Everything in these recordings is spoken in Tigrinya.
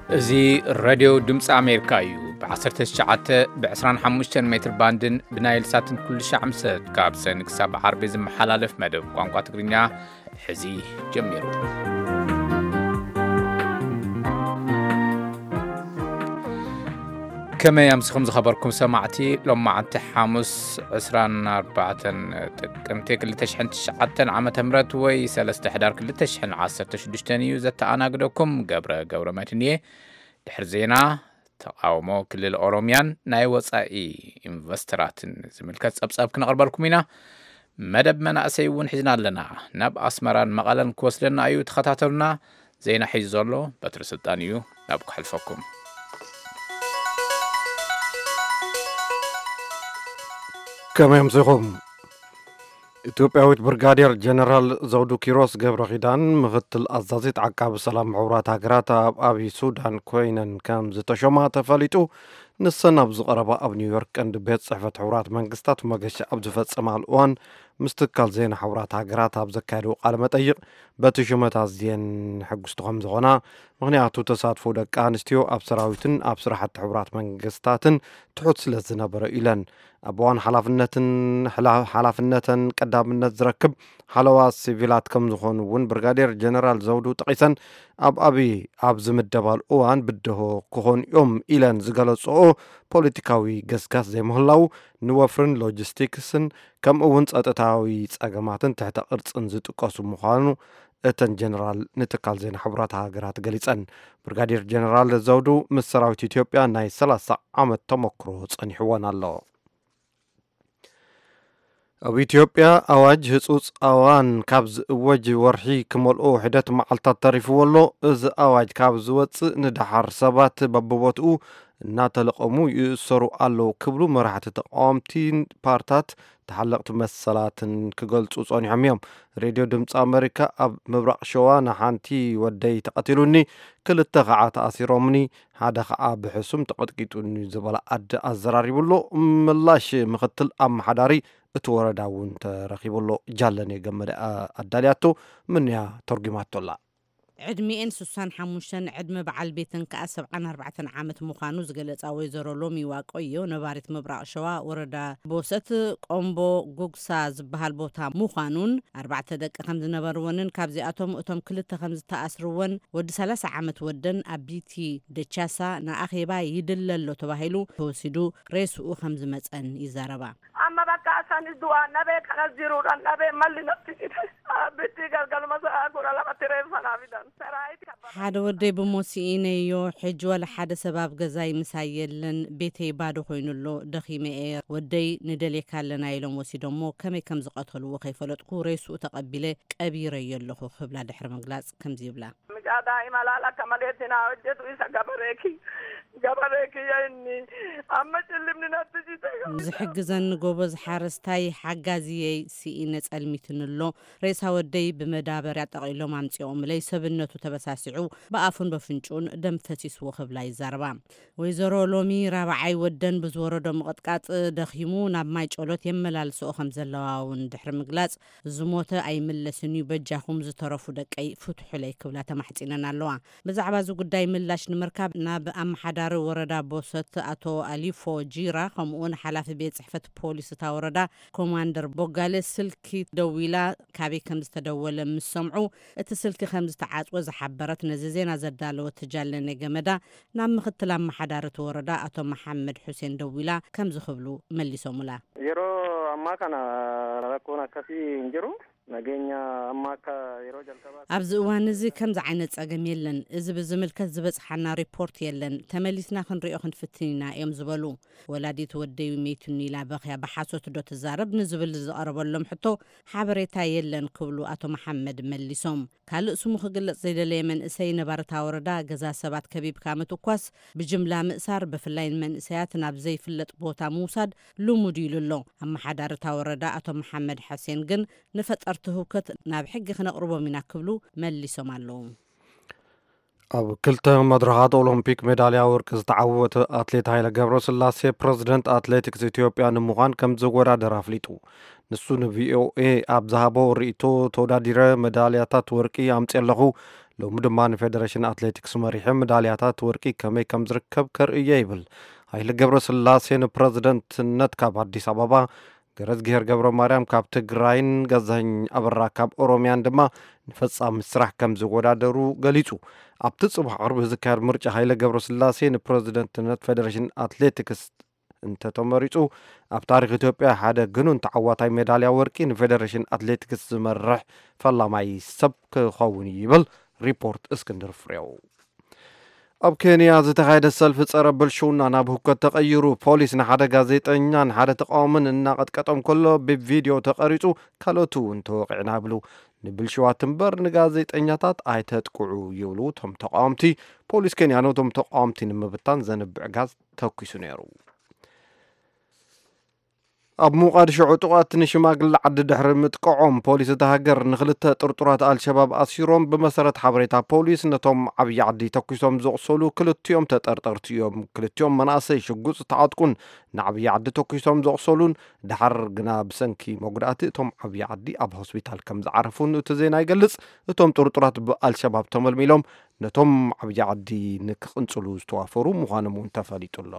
እዚ ሬድዮ ድምፂ ኣሜሪካ እዩ። ብ19፣ ብ25 ሜትር ባንድን ብናይል ሳትን ኩሉ ሻዕ ምሰት ካብ ሰኒ ክሳብ ዓርቢ ዝመሓላለፍ መደብ ቋንቋ ትግርኛ ሕዚ ጀሚሩ። ከመይ ኣምሲኹም ዝኸበርኩም ሰማዕቲ? ሎማዓንቲ ሓሙስ 24 ጥቅምቲ 2009 ዓመተ ምህረት ወይ 3 ሕዳር 2016 እዩ። ዘተኣናግደኩም ገብረ ገብረ መድህን እየ። ድሕሪ ዜና፣ ተቃውሞ ክልል ኦሮሚያን ናይ ወጻኢ ኢንቨስተራትን ዝምልከት ጸብጻብ ክነቕርበልኩም ኢና። መደብ መናእሰይ እውን ሒዝና ኣለና። ናብ ኣስመራን መቐለን ክወስደና እዩ። ተኸታተሉና። ዜና ሒዙ ዘሎ በትሪ ስልጣን እዩ። ናብ ክሕልፈኩም። ከመይ ኣምሲኹም? ኢትዮጵያዊት ብርጋዴር ጀነራል ዘውዱ ኪሮስ ገብረ ኪዳን፣ ምኽትል ኣዛዚት ዓቃቢ ሰላም ሕቡራት ሃገራት ኣብ ኣብይ ሱዳን ኮይነን ከም ዝተሾማ ተፈሊጡ። ንሰን ኣብ ዝቐረባ ኣብ ኒውዮርክ ቀንዲ ቤት ጽሕፈት ሕቡራት መንግስታት መገሻ ኣብ ዝፈጸማሉ እዋን፣ ምስ ትካል ዜና ሕቡራት ሃገራት ኣብ ዘካየድዎ ቃለ መጠይቕ፣ በቲ ሹመት ኣዝየን ሕጉስቲ ከም ዝኾና፣ ምኽንያቱ ተሳትፎ ደቂ ኣንስትዮ ኣብ ሰራዊትን ኣብ ስራሕቲ ሕቡራት መንግስታትን ትሑት ስለ ዝነበረ ኢለን። ኣብ እዋን ሓላፍነትን፣ ሓላ-፣ ሓላፍነተን ቀዳምነት ዝረክብ ሓለዋ ሲቪላት ከም ዝኾኑ እውን ብርጋዴር ጀነራል ዘውዱ ጠቒሰን፣ ኣብ ኣብይ ኣብ ዝምደባሉ እዋን ብድሆ ክኾኑ እዮም ኢለን ዝገለጽኦ ፖለቲካዊ ገስጋስ ዘይምህላው፣ ንወፍርን ሎጂስቲክስን ከምኡ እውን ጸጥታዊ ጸገማትን ትሕተ ቅርጽን ዝጥቀሱ ምዃኑ እተን ጀነራል ንትካል ዜና ሕቡራት ሃገራት ገሊጸን። ብርጋዴር ጀነራል ዘውዱ ምስ ሰራዊት ኢትዮጵያ ናይ 30 ዓመት ተመክሮ ጸኒሕወን ኣሎ። ኣብ ኢትዮጵያ ኣዋጅ ህጹጽ ኣዋን ካብ ዝእወጅ ወርሒ ክመልኦ ሒደት መዓልታት ተሪፍዎ ኣሎ። እዚ ኣዋጅ ካብ ዝወጽእ ንደሓር ሰባት በብቦትኡ እናተለቐሙ ይእሰሩ ኣለዉ ክብሉ መራሕቲ ተቃወምቲ ፓርታት፣ ተሓለቕቲ መሰላትን ክገልጹ ጸኒሖም እዮም። ሬድዮ ድምፂ ኣሜሪካ ኣብ ምብራቕ ሸዋ ንሓንቲ ወደይ ተቐቲሉኒ፣ ክልተ ከዓ ተኣሲሮምኒ፣ ሓደ ከዓ ብሕሱም ተቐጥቂጡኒ ዝበላ ኣደ ኣዘራሪቡ ኣሎ። ምላሽ ምኽትል ኣመሓዳሪ እቲ ወረዳ እውን ተረኺቡ ኣሎ። ጃለኔ ገመደ ኣ-፣ ኣዳልያቶ፣ ምንያ ተርጉማቶ ኣላ። ዕድሚኤን ሱሳን ሓሙሽተን፣ ዕድመ በዓል ቤተን ከኣ 74 ዓመት ምዃኑ ዝገለጻ ወይዘሮ ሎሚ ዋቆዮ፣ ነባሪት ምብራቕ ሸዋ ወረዳ ቦሰት ቆምቦ ጉግሳ ዝበሃል ቦታ ምዃኑን፣ ኣርባዕተ ደቂ ከም ዝነበርወንን፣ ካብዚኣቶም እቶም ክልተ ከም ዝተኣስርወን፣ ወዲ 30 ዓመት ወደን ኣብ ቢቲ ደቻሳ ንኣኼባ ይድለ ኣሎ ተባሂሉ ተወሲዱ ሬስኡ ከም ዝመጸን ይዛረባ። Amma bakka asanis du'a nabee kanas jiruudhaan nabee malli natti cite. Abbitti galgaluma sa'a 12tti reeffa naa fidan. Saraayiti kabba- ሓደ ወደይ ብሞት ስኢነዮ፣ ሕጂ ዋላ ሓደ ሰብ ኣብ ገዛይ ምሳይ የለን፣ ቤተይ ባዶ ኮይኑ ኣሎ፣ ደኺመ እየ። ወደይ ንደልየካ ኣለና ኢሎም ወሲዶሞ፣ ከመይ ከም ዝቐተልዎ ከይፈለጥኩ ሬስኡ ተቐቢለ ቀቢረዮ ኣለኹ ክብላ ድሕሪ ምግላጽ ከምዚ ይብላ። Mucaa daa'ima laala akka maleetti naa hojjetu isa gabaree kiyya. Gabaree kiyya inni amma cillimni natti cite. ዝሕግዘኒ ጎበዝ ሓረስታይ ሓጋዝየይ ስኢነ ጸልሚትኒ ኣሎ። ሬሳ ወደይ ብመዳበርያ ጠቒሎም ኣምጺኦምለይ፣ ሰብነቱ ተበሳሲዑ ብኣፉን በፍንጭኡን ደም ፈሲስዎ ክብላ ይዛረባ። ወይዘሮ ሎሚ ራብዓይ ወደን ብዝወረዶ ምቕጥቃጥ ደኺሙ ናብ ማይ ጨሎት የመላልስኦ ከም ዘለዋ እውን ድሕሪ ምግላጽ፣ ዝሞተ ኣይምለስን እዩ፣ በጃኹም ዝተረፉ ደቀይ ፍትሑለይ ክብላ ተማሕጺነን ኣለዋ። ብዛዕባ እዚ ጉዳይ ምላሽ ንምርካብ ናብ ኣመሓዳሪ ወረዳ ቦሰት ኣቶ ኣሊፎ ጂራ፣ ከምኡውን ሓላፊ ቤት ጽሕፈት ፖሊስ እታ ወረዳ ኮማንደር ቦጋለ ስልኪ ደዊላ፣ ካበይ ከም ዝተደወለ ምስ ሰምዑ፣ እቲ ስልኪ ከም ዝተዓጽወ ዝሓበረት ነዚ ዜና ዘዳለወት ጃለኔ ገመዳ፣ ናብ ምኽትል ኣመሓዳሪ እቲ ወረዳ ኣቶ መሓመድ ሑሴን ደዊላ ከምዚ ክብሉ መሊሶምላ። Yeroo ammaa kana rakkoon akkasii hin jiru. Nageenya ammaa akka yeroo jalqabaa ኣብዚ እዋን እዚ ከምዚ ዓይነት ጸገም የለን። እዚ ብዝምልከት ዝበጽሓና ሪፖርት የለን። ተመሊስና ክንሪኦ ክንፍትን ኢና እዮም ዝበሉ። ወላዲት ወደይ መይቱኒ ኢላ በኽያ ብሓሶት ዶ ትዛረብ ንዝብል ዝቐረበሎም ሕቶ ሓበሬታ የለን ክብሉ ኣቶ መሓመድ መሊሶም። ካልእ ስሙ ክግለጽ ዘይደለየ መንእሰይ ነባሪ እታ ወረዳ፣ ገዛ ሰባት ከቢብካ ምትኳስ፣ ብጅምላ ምእሳር፣ ብፍላይ ንመንእሰያት ናብ ዘይፍለጥ ቦታ ምውሳድ ልሙድ ኢሉ ኣሎ። ኣመሓዳሪ እታ ወረዳ ኣቶ መሓመድ ሐሴን ግን ንፈጠርቲ ህውከት ናብ ሕጊ ክነቕርቦም ኢና ክብሉ መሊሶም ኣለዉ። ኣብ ክልተ መድረኻት ኦሎምፒክ ሜዳልያ ወርቂ ዝተዓወተ ኣትሌት ሃይለ ገብረስላሴ ፕረዚደንት ኣትሌቲክስ ኢትዮጵያ ንምዃን ከም ዝወዳደር ኣፍሊጡ። ንሱ ንቪኦኤ ኣብ ዝሃቦ ርእይቶ፣ ተወዳዲረ መዳልያታት ወርቂ ኣምፅየ ኣለኹ፣ ሎሚ ድማ ንፌደሬሽን ኣትሌቲክስ መሪሑ፣ ምዳልያታት ወርቂ ከመይ ከም ዝርከብ ከርእየ ይብል። ሃይለ ገብረስላሴ ንፕረዚደንትነት ካብ ኣዲስ ኣበባ፣ ገረዝግሄር ገብረ ማርያም ካብ ትግራይን ገዛኸኝ ኣበራ ካብ ኦሮሚያን ድማ ንፈጻሚ ስራሕ ከም ዝወዳደሩ ገሊጹ። ኣብቲ ጽባሕ ዓርቢ ዝካየድ ምርጫ፣ ሃይለ ገብረስላሴ ንፕረዚደንትነት ፌደሬሽን ኣትሌቲክስ እንተተመሪጹ፣ ኣብ ታሪኽ ኢትዮጵያ ሓደ ግኑን ተዓዋታይ ሜዳልያ ወርቂ ንፌደሬሽን ኣትሌቲክስ ዝመርሕ ፈላማይ ሰብ ክኸውን እዩ ይብል ሪፖርት እስክንድር ፍሬው። ኣብ ኬንያ ዝተኻየደ ሰልፊ ጸረ ብልሽውና ናብ ህውከት ተቐይሩ። ፖሊስ ንሓደ ጋዜጠኛን ሓደ ተቃዋምን እናቐጥቀጦም ከሎ፣ ብቪድዮ ተቐሪጹ፣ ካልኦት እውን ተወቂዕና ይብሉ። ንብልሽዋት እምበር ንጋዜጠኛታት ኣይተጥቅዑ ይብሉ እቶም ተቃወምቲ። ፖሊስ ኬንያ ነቶም ተቃወምቲ ንምብታን ዘንብዕ ጋዝ ተኩሱ ነይሩ። ኣብ ሞቓድሾ ዕጡቓት ንሽማግለ ዓዲ ድሕሪ ምጥቅዖም፣ ፖሊስ እታ ሃገር ንኽልተ ጥርጡራት ኣልሸባብ ኣሲሮም። ብመሰረት ሓበሬታ ፖሊስ፣ ነቶም ዓብዪ ዓዲ ተኩሶም ዘቑሰሉ ክልቲኦም ተጠርጠርቲ እዮም። ክልቲኦም መናእሰይ ሽጉፅ ዝተዓጥቁን ንዓብዪ ዓዲ ተኩሶም ዘቑሰሉን፣ ድሓር ግና ብሰንኪ መጉዳእቲ እቶም ዓብዪ ዓዲ ኣብ ሆስፒታል ከም ዝዓረፉን እቲ ዜና ይገልጽ። እቶም ጥርጡራት ብኣልሸባብ ተመልሚሎም ነቶም ዓብዪ ዓዲ ንክቕንጽሉ ዝተዋፈሩ ምዃኖም እውን ተፈሊጡ ኣሎ።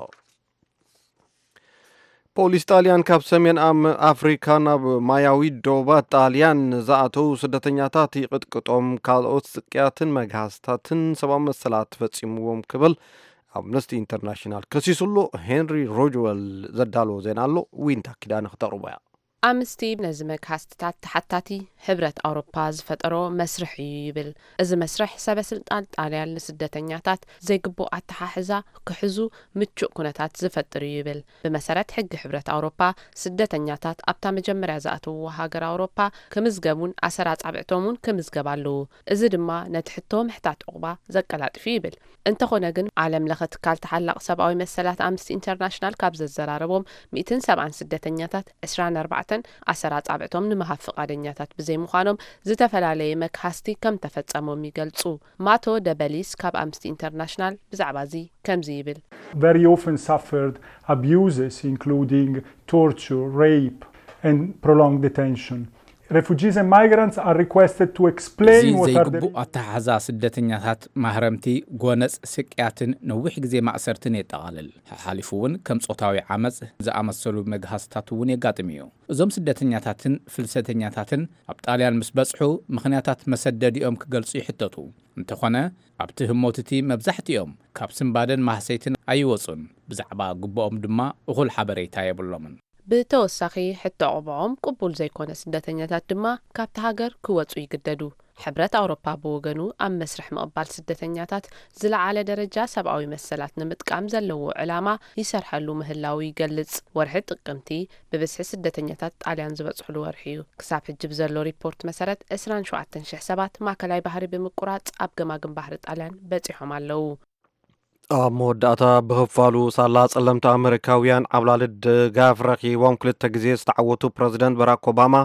ፖሊስ ጣልያን ካብ ሰሜን ኣም-፣ ኣፍሪካ ናብ ማያዊ ዶባት ጣልያን ንዝኣተዉ ስደተኛታት ይቕጥቅጦም፣ ካልኦት ስቅያትን መግሃስታትን ሰብኣዊ መሰላት ፈጺምዎም ክብል ኣምነስቲ ኢንተርናሽናል ከሲሱ ኣሎ። ሄንሪ ሮጅወል ዘዳለዎ ዜና ኣሎ፣ ዊንታ ኪዳነ ክተቕርቦ እያ። ኣምነስቲ ነዚ መግሃስትታት ተሓታቲ ሕብረት ኣውሮፓ ዝፈጠሮ መስርሕ እዩ ይብል። እዚ መስርሕ ሰበ ስልጣን ጣልያን ንስደተኛታት ዘይግቡእ ኣተሓሕዛ ክሕዙ ምቹእ ኩነታት ዝፈጥር እዩ ይብል። ብመሰረት ሕጊ ሕብረት ኣውሮፓ፣ ስደተኛታት ኣብታ መጀመርያ ዝኣተውዎ ሃገር ኣውሮፓ ክምዝገቡን ኣሰር ኣጻብዕቶም እውን ክምዝገብ ኣለዎ። እዚ ድማ ነቲ ሕቶ ምሕታት ዑቕባ ዘቀላጥፍ እዩ ይብል። እንተኾነ ግን፣ ዓለም ለኸ ትካል ተሓላቒ ሰብኣዊ መሰላት ኣምነስቲ ኢንተርናሽናል ካብ ዘዘራረቦም ሚእትን ሰብዓን ስደተኛታት፣ ዕስራን ኣርባዕተን ኣሰር ኣጻብዕቶም ንምሃብ ፍቓደኛታት ብዘይምዃኖም፣ ዝተፈላለየ መግሃስቲ ከም ተፈጸሞም ይገልጹ። ማቶ ደበሊስ ካብ ኣምነስቲ ኢንተርናሽናል ብዛዕባ እዚ ከምዚ ይብል። Very often suffered abuses, including torture, rape, and prolonged detention. Refugees and migrants are requested to እዚ explain what are the ዘይግቡእ ኣተሓሕዛ ስደተኛታት፣ ማህረምቲ፣ ጎነጽ፣ ስቅያትን ነዊሕ ግዜ ማእሰርትን የጠቓልል። ሓሓሊፉ እውን ከም ጾታዊ ዓመጽ ዝኣመሰሉ መግሃስታት እውን የጋጥም እዩ። እዞም ስደተኛታትን ፍልሰተኛታትን ኣብ ጣልያን ምስ በጽሑ፣ ምኽንያታት መሰደዲኦም ክገልጹ ይሕተቱ። እንተኾነ፣ ኣብቲ ህሞት እቲ መብዛሕትኦም ካብ ስንባደን ማህሰይትን ኣይወጹን። ብዛዕባ ግቡኦም ድማ እኹል ሓበሬታ የብሎምን። ብተወሳኺ፣ ሕቶ ዑቕባኦም ቅቡል ዘይኮነ ስደተኛታት ድማ ካብቲ ሃገር ክወጹ ይግደዱ። ሕብረት ኣውሮፓ ብወገኑ፣ ኣብ መስርሕ ምቕባል ስደተኛታት ዝለዓለ ደረጃ ሰብኣዊ መሰላት ንምጥቃም ዘለዎ ዕላማ ይሰርሐሉ ምህላዉ ይገልጽ። ወርሒ ጥቅምቲ ብብዝሒ ስደተኛታት ጣልያን ዝበጽሕሉ ወርሒ እዩ። ክሳብ ሕጂ ብዘሎ ሪፖርት መሰረት፣ ዕስራን ሸውዓተን ሽሕ ሰባት ማእከላይ ባሕሪ ብምቁራጽ ኣብ ገማግም ባሕሪ ጣልያን በጺሖም ኣለዉ። ኣብ መወዳእታ፣ ብኽፋሉ ሳላ ጸለምቲ ኣመሪካውያን ዓብላሊ ድጋፍ ረኺቦም ክልተ ግዜ ዝተዓወቱ ፕረዚደንት ባራክ ኦባማ፣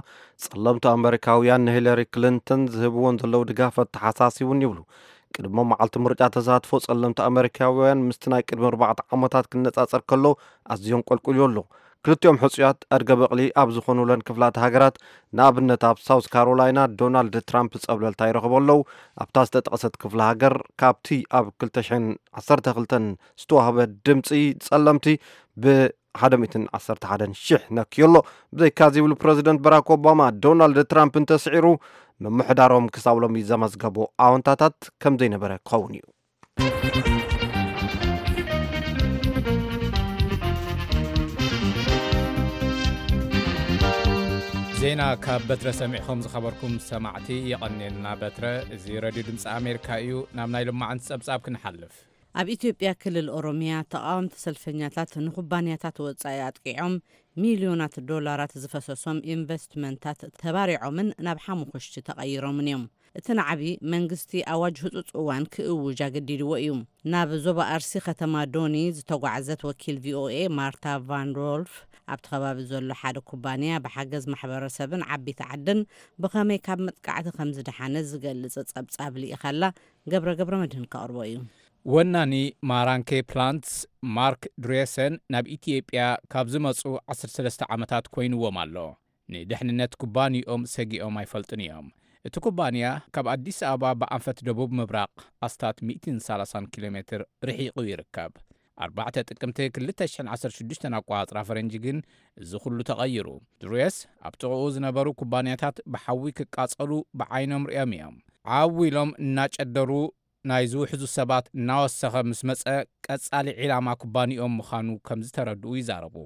ጸለምቲ ኣመሪካውያን ንሂለሪ ክሊንተን ዝህብወን ዘለዉ ድጋፍ ኣተሓሳሲቡን ይብሉ። ቅድሚ መዓልቲ ምርጫ፣ ተሳትፎ ጸለምቲ ኣመሪካውያን ምስቲ ናይ ቅድሚ ኣርባዕተ ዓመታት ክነጻጸር ከሎ ኣዝዮም ቆልቁልዮ ኣሎ። ክልቲኦም ሕጹያት ኣድገ በቕሊ ኣብ ዝኾኑለን ክፍላተ ሃገራት፣ ንኣብነት ኣብ ሳውስ ካሮላይና፣ ዶናልድ ትራምፕ ጸብለልታ ይረኽቡ ኣለዉ። ኣብታ ዝተጠቕሰት ክፍለ ሃገር፣ ካብቲ ኣብ ክልተ ሽሕን ዓሰርተ ክልተን ዝተዋህበ ድምጺ፣ ጸለምቲ ብሓደ ሚእትን ዓሰርተ ሓደን ሽሕ ነክዮ ኣሎ። ብዘይካዚ፣ ይብሉ ፕረዚደንት ባራክ ኦባማ፣ ዶናልድ ትራምፕ እንተስዒሩ፣ ምምሕዳሮም ክሳብ ሎሚ ዘመዝገቦ ኣወንታታት ከም ዘይነበረ ክኸውን እዩ። ዜና ካብ በትረ ሰሚዕኹም ዝኸበርኩም ሰማዕቲ፣ የቐንየልና በትረ። እዚ ሬድዮ ድምፂ ኣሜሪካ እዩ። ናብ ናይ ሎማዓንቲ ጸብጻብ ክንሓልፍ። ኣብ ኢትዮጵያ ክልል ኦሮሚያ፣ ተቓወምቲ ሰልፈኛታት ንኩባንያታት ወጻኢ ኣጥቂዖም፣ ሚልዮናት ዶላራት ዝፈሰሶም ኢንቨስትመንታት ተባሪዖምን ናብ ሓሙኽሽቲ ተቐይሮምን እዮም። እቲ ናዕቢ፣ መንግስቲ ኣዋጅ ህጹጽ እዋን ክእውጅ ኣገዲድዎ እዩ። ናብ ዞባ ኣርሲ፣ ከተማ ዶኒ ዝተጓዕዘት ወኪል ቪኦኤ ማርታ ቫን ሮልፍ፣ ኣብቲ ከባቢ ዘሎ ሓደ ኩባንያ ብሓገዝ ማሕበረሰብን ዓቢይቲ ዓድን ብኸመይ ካብ መጥቃዕቲ ከም ዝደሓነ ዝገልጽ ጸብጻብ ልኢኻላ። ገብረ ገብረ መድህን ከቕርቦ እዩ። ወናኒ ማራንኬ ፕላንትስ ማርክ ድሬሰን ናብ ኢትዮጵያ ካብ ዝመጹ ዓሰርተ ሰለስተ ዓመታት ኮይንዎም ኣሎ። ንድሕንነት ኩባንይኦም ሰጊኦም ኣይፈልጡን እዮም። እቲ ኩባንያ ካብ ኣዲስ ኣበባ ብኣንፈት ደቡብ ምብራቕ ኣስታት ሚእትን ሰላሳን ኪሎ ሜትር ርሒቑ ይርከብ። ኣርባዕተ ጥቅምቲ ክልተ ሽሕን ዓሰርተ ሽዱሽተን ኣቋጽራ ፈረንጂ ግን እዚ ኩሉ ተቐይሩ። ድሩየስ ኣብ ጥቕኡ ዝነበሩ ኩባንያታት ብሓዊ ክቃጸሉ ብዓይኖም ርእዮም እዮም። ዓው ኢሎም እናጨደሩ ናይ ዝውሕዙ ሰባት እናወሰኸ ምስ መጸ ቀጻሊ ዒላማ ኩባንያኦም ምዃኑ ከም ዝተረድኡ ይዛረቡ።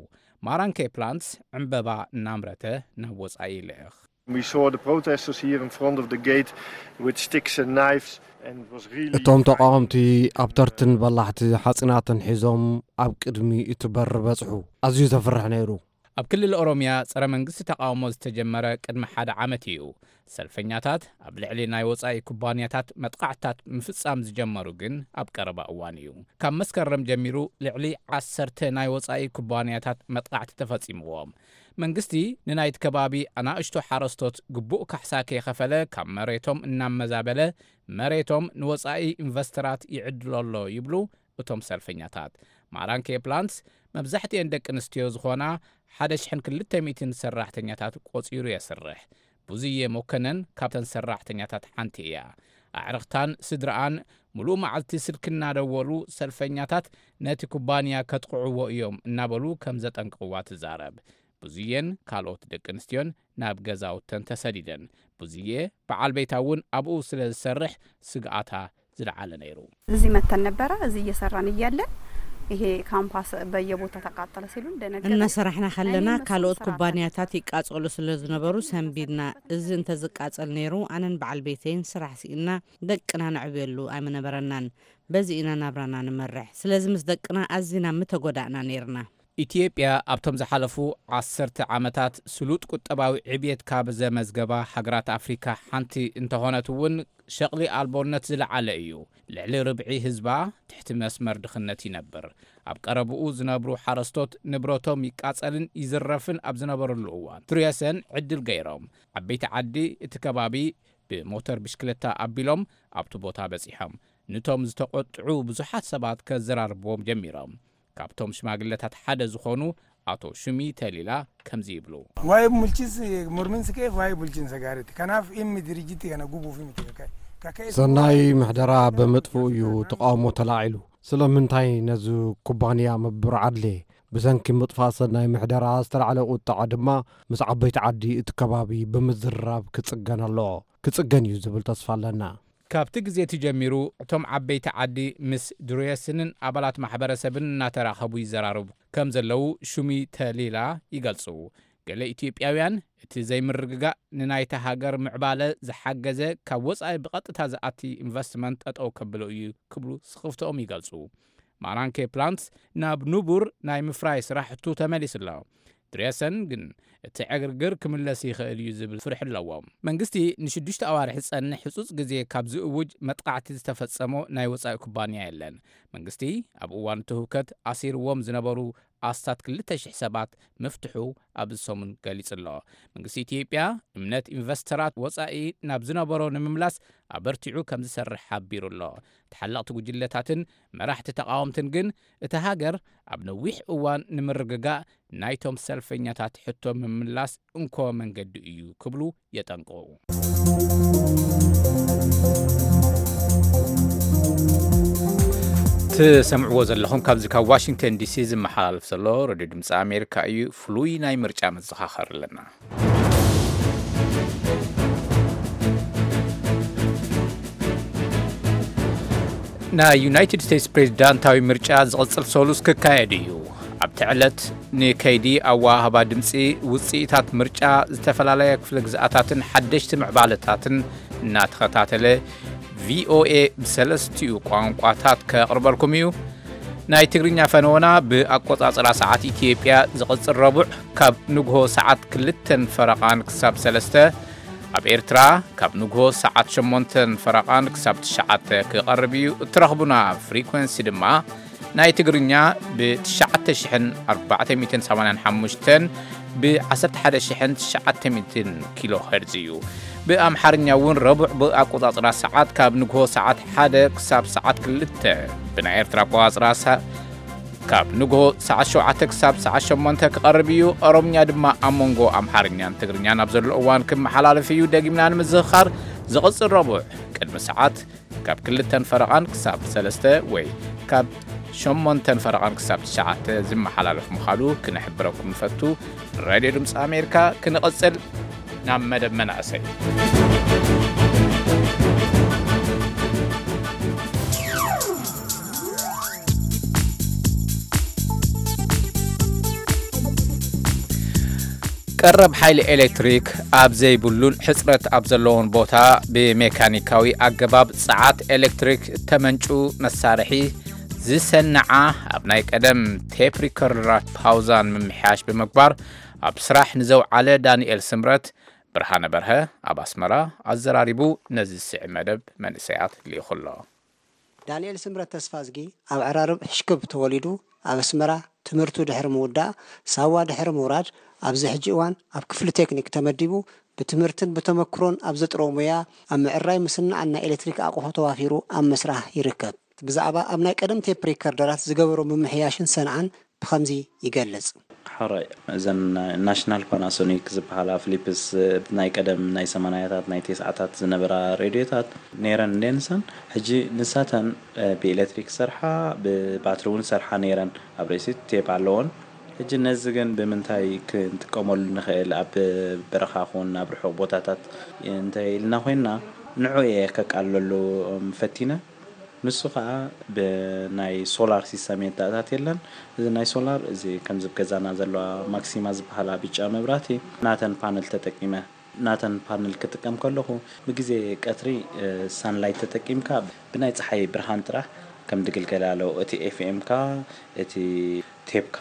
ማራንኬ ፕላንትስ ዕምበባ እናምረተ ናብ ወጻኢ ይልእኽ። We saw the protesters here in front of the gate with sticks and knives and it was really እቶም ተቃወምቲ ኣብ ተርትን በላሕቲ ሓጺናትን ሒዞም ኣብ ቅድሚ እቲ በር በጽሑ። ኣዝዩ ዘፍርሕ ነይሩ። ኣብ ክልል ኦሮምያ ጸረ መንግስቲ ተቃውሞ ዝተጀመረ ቅድሚ ሓደ ዓመት እዩ። ሰልፈኛታት ኣብ ልዕሊ ናይ ወጻኢ ኩባንያታት መጥቃዕትታት ምፍጻም ዝጀመሩ ግን ኣብ ቀረባ እዋን እዩ። ካብ መስከረም ጀሚሩ ልዕሊ ዓሰርተ ናይ ወጻኢ ኩባንያታት መጥቃዕቲ ተፈጺምዎም። መንግስቲ ንናይቲ ከባቢ ኣናእሽቶ ሓረስቶት ግቡእ ካሕሳ ከይኸፈለ ካብ መሬቶም እናመዛበለ መሬቶም ንወጻኢ ኢንቨስተራት ይዕድሎ ኣሎ ይብሉ እቶም ሰልፈኛታት። ማራንኬ ፕላንትስ መብዛሕትኤን ደቂ ኣንስትዮ ዝኾና ሓደ ሽሕን ክልተ ሚእትን ሰራሕተኛታት ቆጺሩ የስርሕ። ብዙየ መኮነን ካብተን ሰራሕተኛታት ሓንቲ እያ። ኣዕርኽታን ስድራኣን ምሉእ መዓልቲ ስልኪ እናደወሉ ሰልፈኛታት ነቲ ኩባንያ ከጥቕዕዎ እዮም እናበሉ ከም ዘጠንቅቕዋ ትዛረብ። ብዙየን ካልኦት ደቂ ኣንስትዮን ናብ ገዛውተን ተሰዲደን። ብዙየ በዓል ቤታ እውን ኣብኡ ስለ ዝሰርሕ ስግኣታ ዝለዓለ ነይሩ። እዚህ መተን ነበረ። እዚህ እየሰራን እያለን ይሄ ካምፓስ በየቦታ ተቃጠለ ሲሉን ደነገጥን። እናሰራሕና ከለና እኔም እሱም ካልኦት ስራ ኩባንያታት ይቃጸሉ ስለ ዝነበሩ ሰንቢድና። እዚ እንተዝቃጸል ነይሩ ኣነን በዓል ቤተይን ስራሕ ስኢና ደቅና ነዕብየሉ ኣይምነበረናን። በዚ ኢና ናብራና ንመርሕ። ስለዚ ምስ ደቅና ኣዚና ምተጎዳእና ነይርና። ኢትዮጵያ ኣብቶም ዝሓለፉ ዓሰርተ ዓመታት ስሉጥ ቁጠባዊ ዕብየት ካብ ዘመዝገባ ሃገራት ኣፍሪካ ሓንቲ እንተኾነት እውን ሸቕሊ ኣልቦነት ዝለዓለ እዩ። ልዕሊ ርብዒ ህዝባ ትሕቲ መስመር ድኽነት ይነብር። ኣብ ቀረብኡ ዝነብሩ ሓረስቶት ንብረቶም ይቃጸልን ይዝረፍን ኣብ ዝነበረሉ እዋን ትርየሰን ዕድል ገይሮም ዓበይቲ ዓዲ እቲ ከባቢ ብሞተር ብሽክለታ ኣቢሎም ኣብቲ ቦታ በጺሖም። ንቶም ዝተቆጥዑ ብዙሓት ሰባት ከዘራርብዎም ጀሚሮም። ካብቶም ሽማግለታት ሓደ ዝኾኑ ኣቶ ሹሚ ተሊላ ከምዚ ይብሉ። Waa'ee bulchiinsi mormiinsi ka'eef waa'ee bulchiinsa gaariiti. Kanaaf dhimmi dirijjiitti kana gubuuf miti kaka'e. Kaka'e ሰናይ ምሕደራ ብምጥፍኡ እዩ ተቃውሞ ተላዒሉ። ስለምንታይ ነዚ ኩባንያ ምብር ዓድሌ? ብሰንኪ ምጥፋእ ሰናይ ምሕደራ ዝተላዕለ ቁጥዓ ድማ ምስ ዓበይቲ ዓዲ እቲ ከባቢ ብምዝርራብ ክጽገን ኣለዎ። ክጽገን እዩ ዝብል ተስፋ ኣለና። ካብቲ ግዜ እቲ ጀሚሩ እቶም ዓበይቲ ዓዲ ምስ ድሩየስንን ኣባላት ማሕበረሰብን እናተራኸቡ ይዘራረቡ ከም ዘለዉ ሹሚ ተሊላ ይገልጹ። ገለ ኢትዮጵያውያን እቲ ዘይምርግጋእ ንናይታ ሃገር ምዕባለ ዝሓገዘ ካብ ወጻኢ ብቐጥታ ዝኣቲ ኢንቨስትመንት ጠጠው ከብሎ እዩ ክብሉ ስኽፍትኦም ይገልጹ። ማራንኬ ፕላንትስ ናብ ንቡር ናይ ምፍራይ ስራሕቱ ተመሊሱ ኣሎ። ድሬሰን ግን እቲ ዕግርግር ክምለስ ይኽእል እዩ ዝብል ፍርሒ ኣለዎ። መንግስቲ ንሽዱሽተ ኣዋርሒ ዝጸንሕ ህጹጽ ግዜ ካብ ዝእውጅ መጥቃዕቲ ዝተፈጸሞ ናይ ወጻኢ ኩባንያ የለን። መንግስቲ ኣብ እዋን እቲ ህውከት ኣሲርዎም ዝነበሩ ኣስታት ክልተ ሽሕ ሰባት ምፍትሑ ኣብዚ ሰሙን ገሊጹ ኣሎ። መንግስቲ ኢትዮጵያ እምነት ኢንቨስተራት ወጻኢ ናብ ዝነበሮ ንምምላስ ኣበርቲዑ ከም ዝሰርሕ ሓቢሩ ኣሎ። ተሓለቕቲ ጉጅለታትን መራሕቲ ተቓወምትን ግን እታ ሃገር ኣብ ነዊሕ እዋን ንምርግጋእ ናይቶም ሰልፈኛታት ሕቶ ምምላስ እንኮ መንገዲ እዩ ክብሉ የጠንቅቑ። ትሰምዕዎ ዘለኹም ካብዚ ካብ ዋሽንግተን ዲሲ ዝመሓላለፍ ዘሎ ሬድዮ ድምፂ ኣሜሪካ እዩ። ፍሉይ ናይ ምርጫ መዘኻኸሪ ኣለና። ናይ ዩናይትድ ስቴትስ ፕሬዚዳንታዊ ምርጫ ዝቕጽል ሰሉስ ክካየድ እዩ። ኣብቲ ዕለት ንከይዲ ኣወሃህባ ድምፂ፣ ውፅኢታት ምርጫ፣ ዝተፈላለያ ክፍለ ግዝኣታትን ሓደሽቲ ምዕባለታትን እናተኸታተለ ቪኦኤ ብሰለስቲኡ ቋንቋታት ከቕርበልኩም እዩ። ናይ ትግርኛ ፈነወና ብኣቆጻጽራ ሰዓት ኢትዮጵያ ዝቕጽል ረቡዕ ካብ ንግሆ ሰዓት ክልተን ፈረቓን ክሳብ ሰለስተ፣ ኣብ ኤርትራ ካብ ንግሆ ሰዓት ሸሞንተን ፈረቓን ክሳብ ትሽዓተ ክቐርብ እዩ። እትረኽቡና ፍሪኮንሲ ድማ ናይ ትግርኛ ብ ትሽዓተ ሽሕን ኣርባዕተ ሚእትን ሰማንያን ሓሙሽተን ብ ዓሰርተ ሓደ ሽሕን ትሽዓተ ሚእትን ኪሎ ሄርዝ እዩ። ብኣምሓርኛ እውን ረቡዕ ብኣቆጻጽራ ሰዓት ካብ ንግሆ ሰዓት ሓደ ክሳብ ሰዓት ክልተ፣ ብናይ ኤርትራ ኣቆጻጽራ ሰ-፣ ካብ ንግሆ ሰዓት ሸውዓተ ክሳብ ሰዓት ሸሞንተ ክቐርብ እዩ። ኦሮምኛ ድማ ኣብ መንጎ ኣምሓርኛን ትግርኛን ኣብ ዘሎ እዋን ክመሓላለፍ እዩ። ደጊምና ንምዝኽኻር፣ ዝቕጽል ረቡዕ ቅድሚ ሰዓት ካብ ክልተን ፈረቓን ክሳብ ሰለስተ ወይ ካብ ሸሞንተን ፈረቓን ክሳብ ትሽዓተ ዝመሓላለፍ ምዃኑ ክንሕብረኩም ንፈቱ። ሬድዮ ድምፂ ኣሜሪካ። ክንቕጽል ናብ መደብ መናእሰይ። ቀረብ ሓይሊ ኤሌክትሪክ ኣብ ዘይብሉን ሕጽረት ኣብ ዘለዎን ቦታ ብሜካኒካዊ ኣገባብ ጸዓት ኤሌክትሪክ ተመንጩ መሳርሒ ዝሰንዓ፣ ኣብ ናይ ቀደም ቴፕ ሪከርደራት ፓውዛን ምምሕያሽ ብምግባር ኣብ ስራሕ ንዘውዓለ ዳንኤል ስምረት፣ ብርሃነ በርሀ ኣብ ኣስመራ ኣዘራሪቡ ነዚ ዝስዕብ መደብ መንእሰያት ልኢኹ ኣሎ። ዳንኤል ስምረት ተስፋዝጊ ኣብ ዕራርብ ሕሽክብ ተወሊዱ፣ ኣብ ኣስመራ ትምህርቱ ድሕሪ ምውዳእ፣ ሳዋ ድሕሪ ምውራድ፣ ኣብዚ ሕጂ እዋን ኣብ ክፍሊ ቴክኒክ ተመዲቡ፣ ብትምህርትን ብተመክሮን ኣብ ዘጥረዎ ሞያ ኣብ ምዕራይ ምስናዕን ናይ ኤሌክትሪክ ኣቕሑ ተዋፊሩ ኣብ ምስራሕ ይርከብ። ብዛዕባ ኣብ ናይ ቀደም ቴፕ ሪከርደራት ዝገበሮ ምምሕያሽን ሰንዓን ብኸምዚ ይገልጽ። ሕራይ፣ እዘን ናሽናል ፓናሶኒክ ዝበሃላ ፊሊፕስ፣ ናይ ቀደም ናይ ሰማንያታት ናይ ተስዓታት ዝነበራ ሬድዮታት ነይረን እንዴ ንሰን። ሕጂ ንሳተን፣ እ፣ ብኤሌክትሪክ ሰርሓ፣ ብባትሪ እውን ሰርሓ ነይረን። ኣብ ርእሲ ቴፕ ኣለዎን። ሕጂ ነዚ ግን ብምንታይ ክንጥቀመሉ ንኽእል? ኣብ በረኻ ኹን ኣብ ርሑቕ ቦታታት እንተ ኢልና ኮይንና፣ ንዑ እየ ከቃልለሉ፣ እም፣ ፈቲነ። ንሱ ኸዓ ብናይ ሶላር ሲስተም የተኣታት የለን። እዚ ናይ ሶላር፣ እዚ ከምዚ ኣብ ገዛና ዘለዋ ማክሲማ ዝበሃላ ብጫ መብራህቲ፣ ናተን ፓነል ተጠቂመ። ናተን ፓነል ክጥቀም ከለኹ፣ ብግዜ ቀትሪ፣ እ፣ ሳንላይት ተጠቂምካ ብናይ ጸሓይ ብርሃን ጥራሕ ከም ድግልገል ኣሎ። እቲ ኤፍኤምካ፣ እቲ ቴፕካ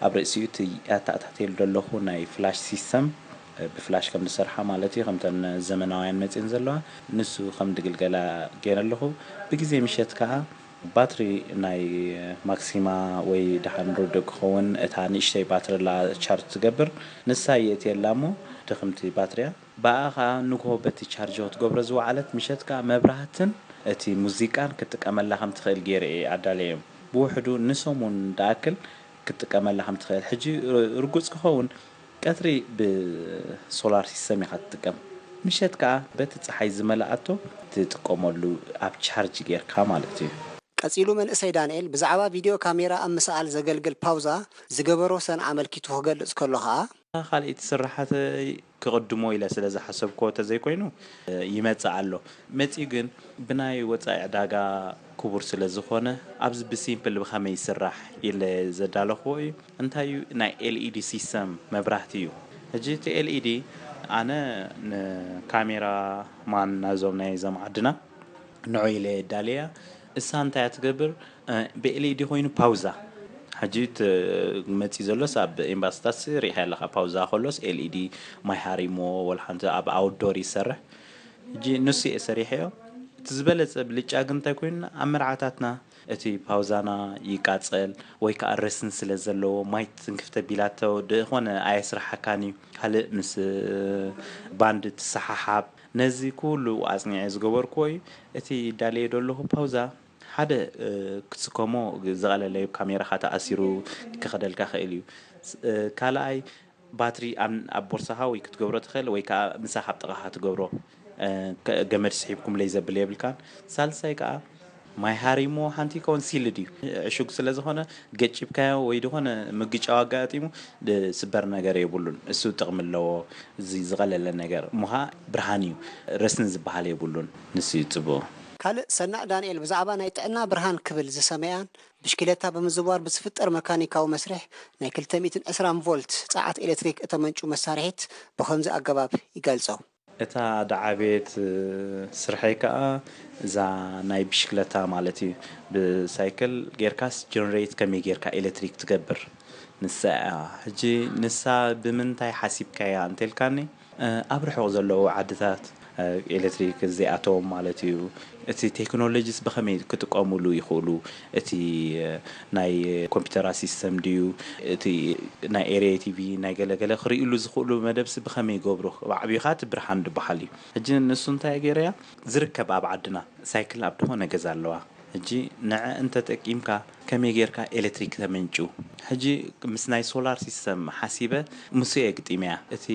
ኣብ ርእሲኡ እቲ ኣተኣታትየሉ ዘለኹ ናይ ፍላሽ ሲስተም፣ እ፣ ብፍላሽ ከም ዝሰርሓ ማለት እዩ፣ ከምተን ዘመናውያን መጺኤን ዘለዋ፣ ንሱ ከም ድግልገላ ገይረ ኣለኹ። ብግዜ ምሸት ከኣ ባትሪ ናይ ማክሲማ ወይ ደሓን ርዱእ ክኸውን፣ እታ ንእሽተይ ባትሪ ኣላ ቻርጅ ትገብር፣ ንሳ የእትየላ እሞ ድኽምቲ ባትሪያ። ብኣኣ ኸኣ ንግሆ በቲ ቻርጅ ክትገብሮ ዝወዓለት፣ ምሸት ከኣ መብራህትን እቲ ሙዚቃን ክትጥቀመላ ከም ትኽእል ገይረ እየ ኣዳለየ። ብውሕዱ ንሰሙን ደኣክል ክትጥቀመላ ከም ትኽእል። ሕጂ ር-፣ ርጉጽ ክኸውን፣ ቀትሪ ብሶላር ሲስተም ኢኻ ትጥቀም፣ ምሸት ከኣ በቲ ጸሓይ ዝመልኣቶ ትጥቀመሉ፣ ኣብ ቻርጅ ጌርካ ማለት እዩ። ቀጺሉ መንእሰይ ዳንኤል ብዛዕባ ቪድዮ ካሜራ ኣብ ምስኣል ዘገልግል ፓውዛ ዝገበሮ ሰንዓ ኣመልኪቱ ክገልጽ ከሎ ኸኣ፣ ካልኣይቲ ስራሓተይ ክቕድሞ ኢለ ስለ ዝሓሰብክዎ ተዘይኮይኑ፣ እ፣ ይመጽእ ኣሎ። መጺኡ ግን ብናይ ወጻኢ ዕዳጋ ክቡር ስለ ዝኾነ፣ ኣብዚ ብሲምፕል ብኸመይ ይስራሕ ኢለ ዘዳለኽዎ እዩ። እንታይ እዩ? ናይ ኤልኢዲ ሲስተም መብራህቲ እዩ። ሕጂ እቲ ኤልኢዲ ኣነ ንካሜራ ማን ናይዞም ናይዞም ዓድና ንዑ ኢለ የዳልያ። እሳ እንታይ እያ ትገብር? እ፣ ብኤልኢዲ ኮይኑ ፓውዛ። ሕጂ እቲ መፂ ዘሎስ ኣብ ኤምባሲታት ሪኢኻ ኣለኻ። ፓውዛ ከሎስ ኤልኢዲ ማይ ሃሪሞ ወላ ሓንቲ ኣብ ኣውትዶር ይሰርሕ። ሕጂ ንሱ እየ ሰሪሐዮ። እቲ ዝበለፀ ብልጫ ግን እንታይ ኮይኑ፣ ኣብ መርዓታትና እቲ ፓውዛና ይቃፀል ወይ ከዓ ረስን ስለ ዘለዎ ማይ ትንክፍ ተቢላቶ ዝኾነ ኣየስርሓካን እዩ። ካልእ ምስ ባንድ ትሰሓሓብ። ነዚ ኩሉ ኣፅኒዐ ዝገበርክዎ እዩ። እቲ ዳለየ ደለኹ ፓውዛ ሓደ፣ እ፣ ክትስከሞ ዝቐለለ እዩ። ካሜራኻ ተኣሲሩ ክኸደልካ ክእል እዩ። ስ-፣ እ፣ ካልኣይ ባትሪ ኣብ፣ ኣብ ቦርሳኻ ወይ ክትገብሮ ትኽእል ወይ ከዓ ምሳኻ ኣብ ጥቓኻ ትገብሮ፣ እ፣ ከ-፣ ገመድ ስሒብኩምለይ ዘብል የብልካን። ሳልሳይ ከዓ ማይ ሃሪሞ ሓንቲ ይከውን ሲልድ እዩ። ዕሹግ ስለ ዝኾነ ገጭብካዮ ወይ ዝኾነ ምግጫው ኣጋጢሙ ዝስበር ነገር የብሉን። እሱ ጥቕሚ ኣለዎ። እዚ ዝቐለለ ነገር እሞ ኸዓ ብርሃን እዩ። ረስኒ ዝበሃል የብሉን። ንሱ እዩ ጽቡቕ። ካልእ ሰናዕ ዳንኤል ብዛዕባ ናይ ጥዕና ብርሃን ክብል ዝሰመያን ብሽክለታ ብምዝዋር ብዝፍጠር መካኒካዊ መስርሕ ናይ ክልተ ሚእትን ዕስራን ቮልት ጸዓት ኤሌክትሪክ እተመንጩ መሳርሒት ብኸምዚ ኣገባብ ይገልጾ። እታ ደዓቤት ስርሐይ ከኣ እዛ ናይ ብሽክለታ ማለት እዩ። ብሳይክል ጌርካስ ጀነሬት ከመይ ጌርካ ኤሌክትሪክ ትገብር? ንሳ እያ። ሕጂ ንሳ ብምንታይ ሓሲብካያ እንተልካኒ፣ እ፣ ኣብ ርሑቕ ዘለዉ ዓድታት፣ እ፣ ኤሌክትሪክ ዘይኣተዎም ማለት እዩ። እቲ ቴክኖሎጂስ ብኸመይ ክጥቀሙሉ ይኽእሉ? እቲ፣ እ፣ ናይ ኮምፒውተራት ሲስተም ድዩ? እቲ ናይ ኤርየ ቲቪ፣ ናይ ገለ ገለ ክርእዩሉ ዝኽእሉ መደብሲ ብኸመይ ይገብሩ? ኣብ ዓብዩኻ እቲ ብርሃን ዝበሃል እዩ። ሕጂ ንሱ እንታይ ገይረያ? ዝርከብ ኣብ ዓድና ሳይክል ኣብ ዝኾነ ገዛ ኣለዋ። ሕጂ ንዐ እንተጠቂምካ ከመይ ጌርካ ኤሌክትሪክ ተመንጭው? ሕጂ ምስ ናይ ሶላር ሲስተም ሓሲበ ምስ እየ ግጢመያ። እቲ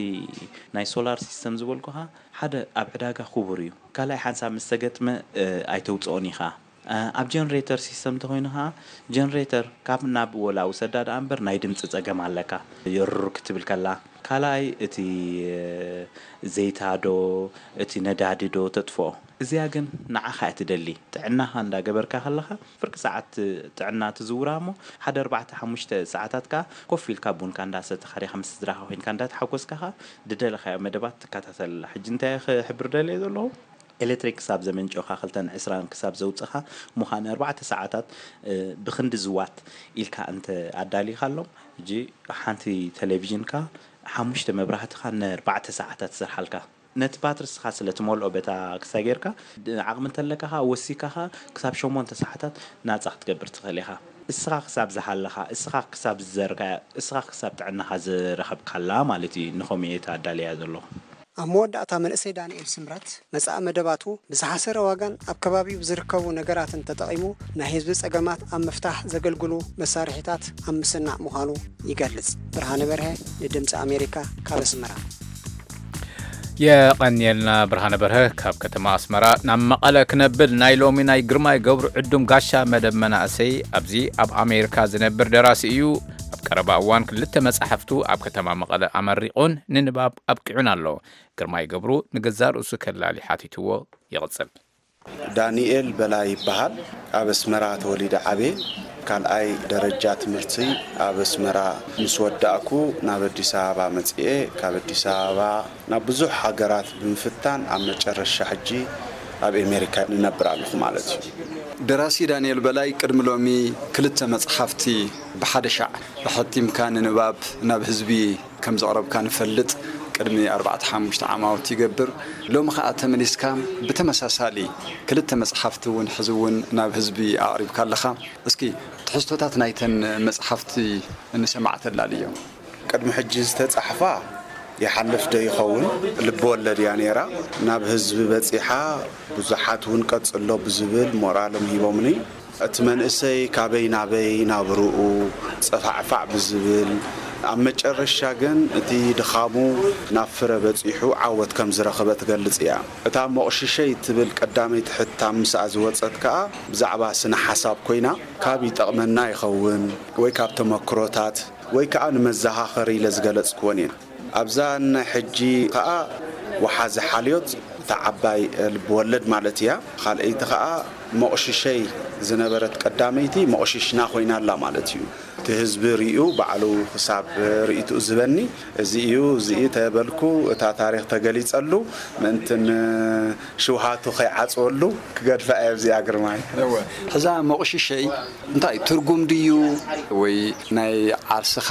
ናይ ሶላር ሲስተም ዝበልኩኻ ሓደ ኣብ ዕዳጋ ክቡር እዩ። ካልኣይ ሓንሳብ ምስ ተገጥመ ኣይተውፅኦን ኢኻ። ኣብ ጀነሬተር ሲስተም እንተኾይኑ ኸዓ ጀነሬተር ካብ ናብ ወላ ውሰዳ ደኣ እምበር ናይ ድምፂ ፀገም ኣለካ። የሩር ክትብል ከላ ካልኣይ እቲ ዘይታ ዶ እቲ ነዳዲ ዶ ተጥፍኦ። እዚኣ ግን ንዓኻ እያ ትደሊ። ጥዕናኻ እንዳገበርካ ከለኻ ፍርቂ ሰዓት ጥዕና ትዝውራ እሞ ሓደ ኣርባዕተ ሓሙሽተ ሰዓታት ከኣ ኮፍ ኢልካ ቡንካ እንዳሰተኻ ዲኻ ምስ ስድራኻ ኮይንካ እንዳተሓጎስካ ከኣ ድደለኻዮ መደባት ትከታተል። ሕጂ እንታይ ክሕብር ደልየ ዘለኹ? ኤሌክትሪክ ክሳብ ዘመንጨኻ ክልተን ዕስራን ክሳብ ዘውፅኻ ምዃነ ኣርባዕተ ሰዓታት ብክንዲ ዝዋት ኢልካ እንተ ኣዳሊኻሎም ሕጂ ሓንቲ ቴሌቪዥንካ ሓሙሽተ መብራህትኻ ንኣርባዕተ ሰዓታት ትሰርሓልካ። ነቲ ባትሪ እስኻ ስለ ትመልኦ በታ ክሳ ጌርካ ዓቕሚ እንተለካ ኸዓ ወሲካ ኸዓ ክሳብ ሸሞንተ ሰዓታት ናፃ ክትገብር ትኽእል ኢኻ። እስኻ ክሳብ ዝሃለኻ፣ እስኻ ክሳብ ዝዘርካያ፣ እስኻ ክሳብ ጥዕናኻ ዝረኸብካላ ማለት እዩ። ንኸምኡ እየ ኣዳልያ ዘለኹ። ኣብ መወዳእታ መንእሰይ ዳንኤል ስምረት መጻኢ መደባቱ ብዝሓሰረ ዋጋን ኣብ ከባቢኡ ብዝርከቡ ነገራትን ተጠቒሙ ናይ ህዝቢ ጸገማት ኣብ ምፍታሕ ዘገልግሉ መሳርሒታት ኣብ ምስናዕ ምዃኑ ይገልጽ። ብርሃነ በርሀ ንድምጺ ኣሜሪካ ካብ ኣስመራ። የቐንየልና ብርሃነ በርሀ። ካብ ከተማ ኣስመራ ናብ መቐለ ክነብል ናይ ሎሚ ናይ ግርማይ ገብሩ ዕዱም ጋሻ መደብ መናእሰይ ኣብዚ ኣብ ኣሜሪካ ዝነብር ደራሲ እዩ። ኣብ ቀረባ እዋን ክልተ መጻሕፍቱ ኣብ ከተማ መቐለ ኣመሪቑን ንንባብ ኣብቂዑን ኣሎ። ግርማይ ገብሩ ንገዛእ ርእሱ ከላሊ ሓቲትዎ ይቕጽል። ዳንኤል በላይ ይበሃል። ኣብ ኣስመራ ተወሊደ ዓብየ። ካልኣይ ደረጃ ትምህርቲ ኣብ ኣስመራ ምስ ወዳእኩ ናብ ኣዲስ ኣበባ መጺኤ። ካብ ኣዲስ ኣበባ ናብ ብዙሕ ሃገራት ብምፍታን ኣብ መጨረሻ ሕጂ ኣብ ኣሜሪካ ንነብር ኣለኹ ማለት እዩ። ደራሲ ዳንኤል በላይ ቅድሚ ሎሚ ክልተ መጽሓፍቲ ብሓደ ሻዕ ኣሐቲምካ ንንባብ ናብ ህዝቢ ከም ዘቕረብካ ንፈልጥ። ቅድሚ ኣርባዕተ ሓሙሽተ ዓማውቲ ይገብር። ሎሚ ኸኣ ተመሊስካ ብተመሳሳሊ ክልተ መጽሓፍቲ እውን ሕዚ እውን ናብ ህዝቢ ኣቕሪብካ ኣለኻ። እስኪ ትሕዝቶታት ናይተን መጽሓፍቲ ንሰማዕ ተላልዮ። ቅድሚ ሕጂ ዝተጻሕፋ ይሓልፍ ዶ ይኸውን ልቢ ወለድ እያ ነይራ። ናብ ህዝቢ በጺሓ ብዙሓት እውን ቀጽሎ ብዝብል ሞራሎም ሂቦምኒ። እቲ መንእሰይ ካበይ ናበይ ናብርኡ ጸፋዕፋዕ ብዝብል ኣብ መጨረሻ ግን እቲ ድኻሙ ናብ ፍረ በጺሑ ዓወት ከም ዝረኸበ ትገልጽ እያ። እታ ሞቕሽሸይ እትብል ቀዳመይቲ ሕታም ምስኣ ዝወጸት ከኣ ብዛዕባ ስነ ሓሳብ ኮይና ካብ ይጠቕመና ይኸውን ወይ ካብ ተመክሮታት ወይ ከኣ ንመዘኻኸሪ ኢለ ዝገለጽክወን እየን። ኣብዛ ናይ ሕጂ ከኣ ወሓዚ ሓልዮት እታ ዓባይ ልቢ ወለድ ማለት እያ። ካልኣይቲ ከኣ ሞቕሽሸይ ዝነበረት ቀዳመይቲ ሞቕሽሽና ኮይና ኣላ ማለት እዩ። እቲ ህዝቢ ርእዩ ባዕሉ ክሳብ ርእይትኡ ዝህበኒ እዚ እዩ እዚ እዩ ተበልኩ እታ ታሪኽ ተገሊጸሉ ምእንቲ ሽውሃቱ ከይዓጽወሉ ክገድፋ እየ ኣብዚኣ ግርማይ። ሕዛ ሞቕሽሸይ እንታይ ትርጉም ድዩ ወይ ናይ ዓርስኻ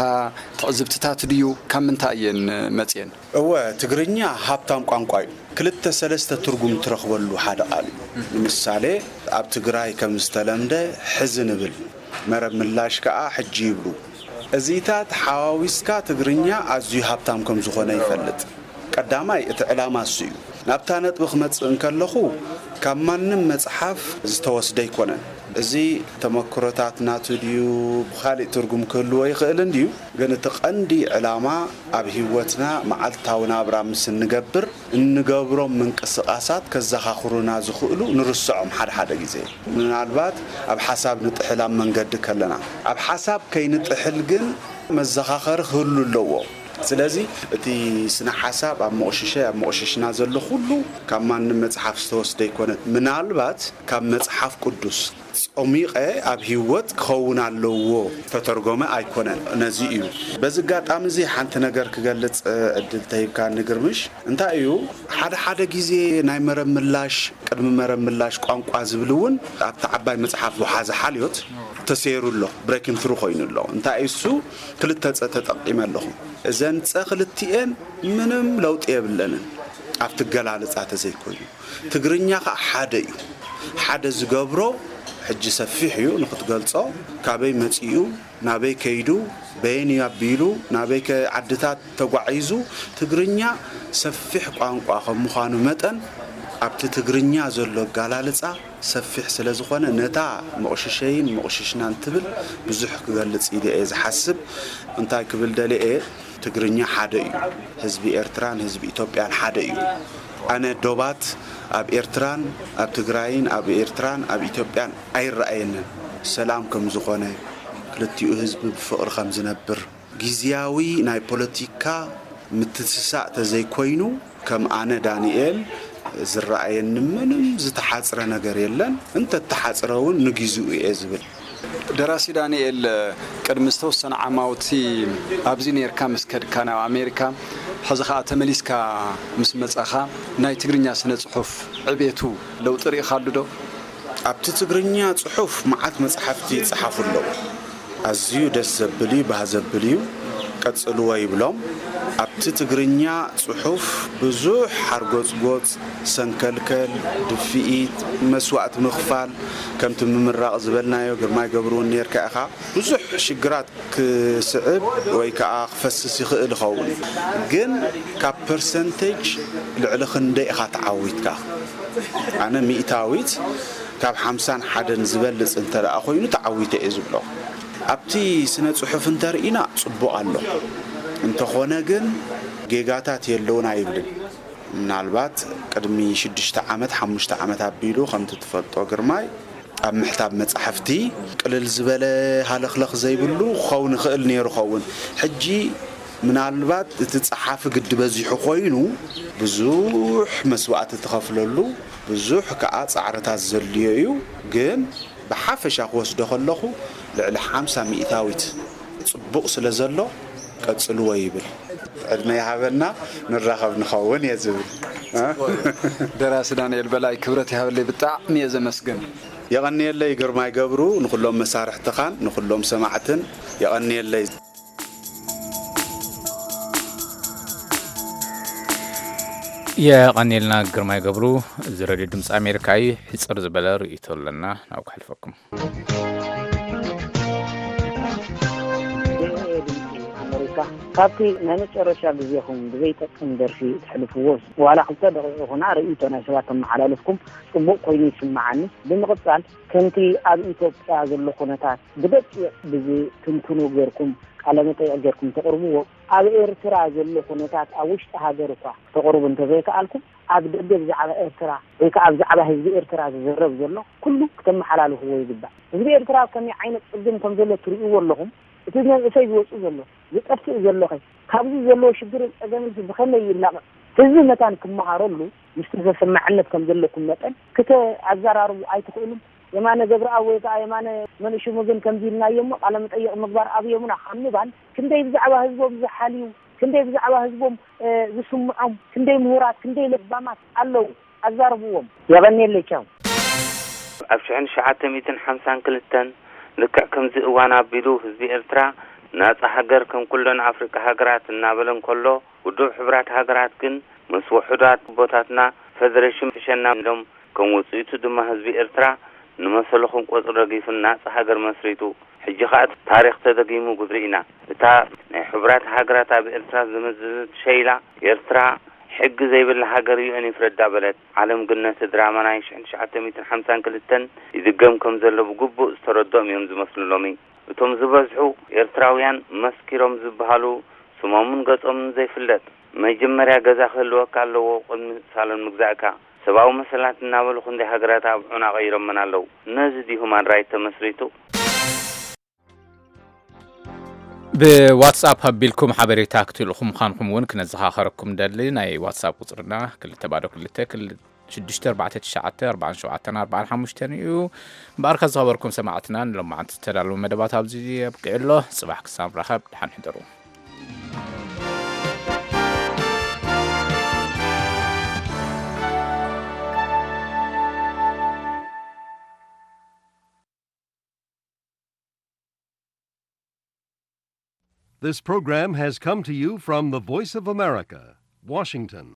ትዕዝብትታት ድዩ ካብ ምንታይ እየን መጽየን? እወ ትግርኛ ሃብታም ቋንቋ እዩ። ክልተ ሰለስተ ትርጉም ትረኽበሉ ሓደ ቃል እዩ። ንምሳሌ ኣብ ትግራይ ከም ዝተለምደ ሕዚ ንብል፣ መረብ ምላሽ ከኣ ሕጂ ይብሉ። እዚታት ሓዋዊስካ ትግርኛ ኣዝዩ ሃብታም ከም ዝኾነ ይፈልጥ። ቀዳማይ እቲ ዕላማ እሱ እዩ። ናብታ ነጥቢ ክመጽእ እንከለኹ ካብ ማንም መጽሓፍ ዝተወስደ ኣይኮነን። እዚ ተመክሮታት ናቱ ድዩ ብኻሊእ ትርጉም ክህልዎ ይኽእል እንድዩ፣ ግን እቲ ቀንዲ ዕላማ ኣብ ህይወትና መዓልታዊ ናብራ ምስ እንገብር እንገብሮም ምንቅስቓሳት ከዘኻኽሩና ዝኽእሉ ንርስዖም ሓደ ሓደ ግዜ። ምናልባት ኣብ ሓሳብ ንጥሕል ኣብ መንገዲ ከለና። ኣብ ሓሳብ ከይንጥሕል ግን መዘኻኸሪ ክህሉ ኣለዎ። ስለዚ እቲ ስነ ሓሳብ ኣብ መቑሽሸይ ኣብ መቑሽሽና ዘሎ ኩሉ ካብ ማንም መጽሓፍ ዝተወስደ ኣይኮነን። ምናልባት ካብ መጽሓፍ ቅዱስ ጾሚቐ ኣብ ህይወት ክኸውን ኣለዎ ተተርጎመ ኣይኮነን። ነዚ እዩ። በዚ ኣጋጣሚ እዚ ሓንቲ ነገር ክገልጽ ዕድል ተሂብካኒ ግርምሽ። እንታይ እዩ ሓደ ሓደ ግዜ ናይ መረብ ምላሽ ቅድሚ መረብ ምላሽ ቋንቋ ዝብል እውን ኣብቲ ዓባይ መጽሓፍ ወሓዚ ሓልዮት ተሰይሩ ኣሎ። ብሬኪን ትሩ ኮይኑ ኣሎ። እንታይ እዩ እሱ ክልተ ጸ ተጠቂመ ኣለኹ። እዘን ጸ ክልቲኤን ምንም ለውጢ የብለንን ኣብቲ ገላልጻ ተዘይኮይኑ። ትግርኛ ከዓ ሓደ እዩ። ሓደ ዝገብሮ ሕጂ ሰፊሕ እዩ ንክትገልጾ ካበይ መጺኡ ናበይ ከይዱ በየን እዩ ኣቢሉ ናበይ ከ ዓድታት ተጓዒዙ ትግርኛ ሰፊሕ ቋንቋ ከም ምዃኑ መጠን ኣብቲ ትግርኛ ዘሎ ኣጋላልጻ ሰፊሕ ስለ ዝኾነ፣ ነታ መቑሽሸይን መቑሽሽናን ትብል ብዙሕ ክገልጽ ኢለ እየ ዝሓስብ። እንታይ ክብል ደልየ፣ ትግርኛ ሓደ እዩ። ህዝቢ ኤርትራን ህዝቢ ኢትዮጵያን ሓደ እዩ። ኣነ ዶባት ኣብ ኤርትራን ኣብ ትግራይን ኣብ ኤርትራን ኣብ ኢትዮጵያን ኣይረኣየንን። ሰላም ከም ዝኾነ፣ ክልቲኡ ህዝቢ ብፍቕሪ ከም ዝነብር፣ ግዝያዊ ናይ ፖለቲካ ምትስሳእ ተዘይኮይኑ፣ ከም ኣነ ዳንኤል ዝረኣየኒ ምንም ዝተሓጽረ ነገር የለን። እንተተሓጽረ እውን ንግዚኡ እየ ዝብል። ደራሲ ዳንኤል፣ ቅድሚ ዝተወሰነ ዓማውቲ ኣብዚ ኔርካ ምስ ከድካ ናብ ኣሜሪካ፣ ሕዚ ኸኣ ተመሊስካ ምስ መጻኻ፣ ናይ ትግርኛ ስነ ጽሑፍ ዕቤቱ ለውጢ ርኢኻሉ ዶ? ኣብቲ ትግርኛ ጽሑፍ መዓት መጻሕፍቲ ይጸሓፉ ኣለዉ። ኣዝዩ ደስ ዘብል እዩ፣ ባህ ዘብል እዩ። ቀጽልዎ ይብሎም። ኣብቲ ትግርኛ ጽሑፍ ብዙሕ ሓርጎጽጎጽ፣ ሰንከልከል፣ ድፍኢት፣ መስዋእቲ ምኽፋል፣ ከምቲ ምምራቕ ዝበልናዮ፣ ግርማይ ገብሩ እውን ኔርካ ኢኻ። ብዙሕ ሽግራት ክስዕብ ወይ ከኣ ክፈስስ ይኽእል ይኸውን። ግን ካብ ፐርሰንቴጅ ልዕሊ ክንደይ ኢኻ ተዓዊትካ? ኣነ ሚእታዊት ካብ ሓምሳን ሓደን ዝበልጽ እንተ ደኣ ኮይኑ ተዓዊተ እየ ዝብሎ። ኣብቲ ስነ ጽሑፍ እንተርኢና ጽቡቕ ኣሎ። እንተኾነ ግን ጌጋታት የለውን ኣይብልን። ምናልባት ቅድሚ ሽዱሽተ ዓመት፣ ሓሙሽተ ዓመት ኣቢሉ፣ ከምቲ ትፈልጦ ግርማይ፣ ኣብ ምሕታብ መጻሕፍቲ ቅልል ዝበለ ሃለኽለኽ ዘይብሉ ክኸውን ይኽእል ነይሩ ኸውን። ሕጂ ምናልባት እቲ ጸሓፊ ግዲ በዚሑ ኮይኑ ብዙሕ መስዋእቲ ትኸፍለሉ፣ ብዙሕ ከኣ ጻዕርታት ዘድልዮ እዩ። ግን ብሓፈሻ ክወስዶ ከለኹ ልዕሊ ሓምሳ ሚእታዊት ጽቡቕ ስለ ዘሎ ቀጽልዎ ይብል። ዕድመ ይሃበና፣ ንራኸብ ንኸውን እየ ዝብል። እ? ደራሲ ዳንኤል በላይ፣ ክብረት ይሃበለይ፣ ብጣዕሚ እየ ዘመስግን። የቐንየለይ ግርማይ ገብሩ፣ ንኹሎም መሳርሕትኻን ንኹሎም ሰማዕትን የቐንየለይ። የቐንየልና ግርማይ ገብሩ። እዚ ሬድዮ ድምፂ ኣሜሪካ እዩ። ሕፅር ዝበለ ርእይቶ ኣለና፣ ናብ ከሕልፈኩም። ድምፂ ኣሜሪካ፣ ካብቲ ናይ መጨረሻ ግዜኹም ብዘይጠቅም ደርፊ ተሕልፍዎ፣ ዋላ ክልተ ደቂቕ ይኹና፣ ርእይቶ ናይ ሰባት ተመሓላልፍኩም ጽቡቕ ኮይኑ ይስምዓኒ። ብምቕጻል፣ ከምቲ ኣብ ኢትዮጵያ ዘሎ ኩነታት ብደቂቕ ብዝትንትኑ ጌርኩም ቃለ መጠይቕ ጌርኩም ተቕርብዎ፣ ኣብ ኤርትራ ዘሎ ኩነታት ኣብ ውሽጢ ሃገር እኳ ክተቕርቡ እንተዘይከኣልኩም፣ ኣብ ደገ ብዛዕባ ኤርትራ ወይ ከኣ ብዛዕባ ህዝቢ ኤርትራ ዝዝረብ ዘሎ ኩሉ ክተመሓላልፍዎ ይግባእ። ህዝቢ ኤርትራ ኣብ ከመይ ዓይነት ጸገም ከም ዘሎ ትርእይዎ ኣለኹም። እቲ መንእሰይ ዝወጽእ ዘሎ፣ ዝጠፍእ ዘሎ ኸ፣ ካብዚ ዘለዎ ሽግርን ጸገምን ብኸመይ ይላቐቕ? ህዝቢ መታን ክመሃረሉ፣ ምስቲ ተሰማዕነት ከም ዘለኩም መጠን፣ ክተ-፣ ኣዘራርቡ ኣይትኽእሉን? የማነ ገብረኣብ ወይ ከኣ የማነ መንእሽሙ ግን ከምዚ ኢልናዮ እሞ ቃለ መጠይቕ ምግባር ኣብዮምና ካብ ምባል፣ ክንደይ ብዛዕባ ህዝቦም ዝሓልዩ፣ ክንደይ ብዛዕባ ህዝቦም፣ እ፣ ዝስምዖም፣ ክንደይ ምሁራት፣ ክንደይ ለባማት ኣለዉ። ኣዛርብዎም። የቐንየለይ፣ ቻው። ኣብ ሽሕን ትሽዓተ ሚእትን ሓምሳን ክልተን፣ ልክዕ ከምዚ እዋን ኣቢሉ ህዝቢ ኤርትራ ናጻ ሃገር ከም ኩለን ኣፍሪቃ ሃገራት እናበለ እንከሎ፣ ውድብ ሕቡራት ሃገራት ግን ምስ ውሑዳት ኣቦታትና ፈደሬሽን ሕሸና ኢሎም፣ ከም ውጽኢቱ ድማ ህዝቢ ኤርትራ ንመሰሉ ከም ቆጽሪ ረጊፉ ናጻ ሃገር መስሪቱ። ሕጂ ኸኣ እቲ ታሪኽ ተደጊሙ ጉድሪ ኢና። እታ ናይ ሕቡራት ሃገራት ኣብ ኤርትራ ዝምዝዝት ሸይላ፣ ኤርትራ ሕጊ ዘይብላ ሃገር ዩ ኤን ይፍረዳ በለት። ዓለም ግን ነቲ ድራማ ናይ ሽሕን ትሽዓተ ሚእትን ሓምሳን ክልተን ይድገም ከም ዘሎ ብግቡእ ዝተረድኦም እዮም ዝመስሉ ሎሚ። እቶም ዝበዝሑ ኤርትራውያን መስኪሮም ዝበሃሉ ስሞምን ገጾምን ዘይፍለጥ፣ መጀመርያ ገዛ ክህልወካ ኣለዎ ቅድሚ ሳሎን ምግዛእካ። ሰብኣዊ መሰላት እናበሉ ክንደይ ሃገራት ኣብ ዑና ቀይሮመን ኣለዉ። ነዚ ድዩ ሁማን ራይት ተመስሪቱ? ብዋትስኣፕ ኣቢልኩም ሓበሬታ ክትልእኹ ምዃንኩም እውን ክነዘኻኸረኩም ደሊ። ናይ ዋትስኣፕ ቁጽርና ክልተ ባዶ ክልተ ክል-፣ ሽዱሽተ ኣርባዕተ ትሽዓተ ኣርባዓን ሸውዓተን ኣርባዓን ሓሙሽተን እዩ። እምበኣር ከዝኸበርኩም ሰማዕትና፣ ንሎማዓንቲ ዝተዳለወ መደባት ኣብዚ ኣብቂዑ ኣሎ። ጽባሕ ክሳብ ንራኸብ፣ ደሓን ሕደሩ። This program has come to you from the Voice of America, Washington.